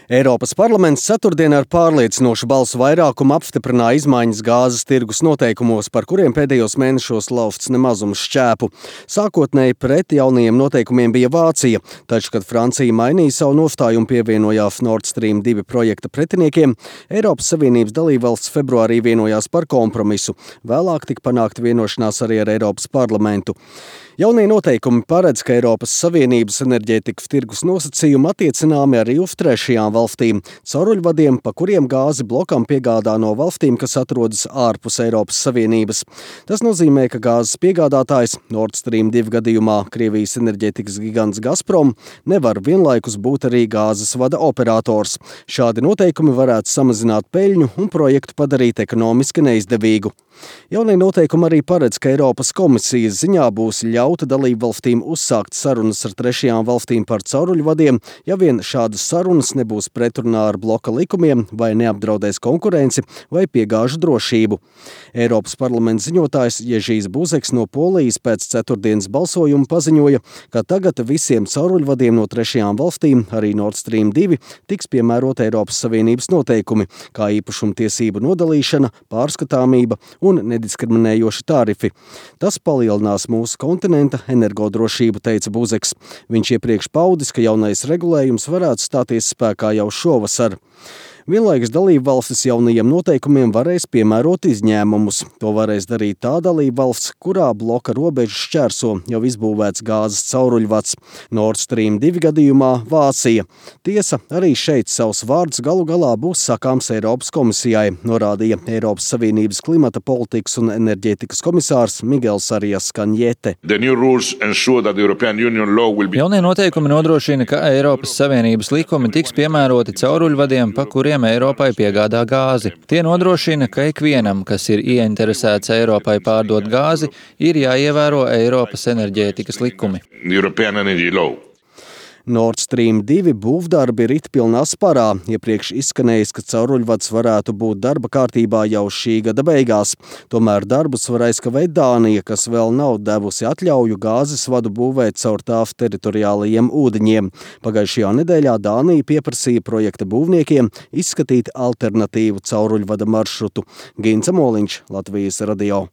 Eiropas parlaments ceturtdien ar pārliecinošu balsu vairākumu apstiprināja izmaiņas gāzes tirgus noteikumos, par kuriem pēdējos mēnešos lausts nemazums šķēpu. Sākotnēji pret jaunajiem noteikumiem bija Vācija, taču, kad Francija mainīja savu nostāju un pievienojās Nord Stream 2 projekta pretiniekiem, Eiropas Savienības dalībvalsts februārī vienojās par kompromisu. Vēlāk tika panākta vienošanās arī ar Eiropas parlamentu. Jaunie noteikumi paredz, ka Eiropas Savienības enerģētikas tirgus nosacījumi attiecināmi arī uz trešajām valstīm, cauruļvadiem, pa kuriem gāzi blokam piegādā no valstīm, kas atrodas ārpus Eiropas Savienības. Tas nozīmē, ka gāzes piegādātājs Nord Stream 2 gadījumā Krievijas enerģētikas gigants Gazprom nevar vienlaikus būt arī gāzes vada operators. Šādi noteikumi varētu samazināt peļņu un projektu padarīt ekonomiski neizdevīgu. Jaunie noteikumi arī paredz, ka Eiropas komisijas ziņā būs ļauta dalību valstīm uzsākt sarunas ar trešajām valstīm par cauruļvadiem, ja vien šādas sarunas nebūs pretrunā ar bloka likumiem vai neapdraudēs konkurenci vai piegāžu drošību. Eiropas parlamenta ziņotājs Ježijs Buzeks no Polijas pēc ceturtdienas balsojuma paziņoja, ka tagad visiem cauruļvadiem no trešajām valstīm, arī Nord Stream 2, tiks piemērot Eiropas Savienības noteikumi, kā īpašumtiesību nodalīšana, pārskatāmība un nediskriminējoši tarifi. Tas palielinās mūsu kontinenta energodrošību, teica Buzeks. Viņš iepriekš paudis, ka jaunais regulējums varētu stāties spēkā jau šovasar. Vienlaikus dalībvalstis jaunajiem noteikumiem varēs piemērot izņēmumus. To varēs darīt tā dalībvalsts, kurā bloka robežu šķērso jau izbūvēts gāzes cauruļvads. Nord Stream 2 gadījumā Vācija. Tiesa, arī šeit savs vārds galu galā būs sakāms Eiropas komisijai, norādīja Eiropas Savienības klimata politikas un enerģētikas komisārs Miguels Arias Kanjete. Jaunie noteikumi nodrošina, ka Eiropas Savienības likumi tiks piemēroti cauruļvadiem, pa kuriem Eiropai piegādā gāzi. Tie nodrošina, ka ikvienam, kas ir ieinteresēts Eiropai pārdot gāzi, ir jāievēro Eiropas enerģētikas likumi. Nord Stream 2 būvdarbi rit pilnā sparā. Iepriekš izskanējis, ka cauruļvads varētu būt darba kārtībā jau šī gada beigās. Tomēr darbus var aizkavēt Dānija, kas vēl nav devusi atļauju gāzes vadu būvēt caur tās teritoriālajiem ūdeņiem. Pagājušajā nedēļā Dānija pieprasīja projekta būvniekiem izskatīt alternatīvu cauruļvada maršrutu. Gints Moliņš, Latvijas radio.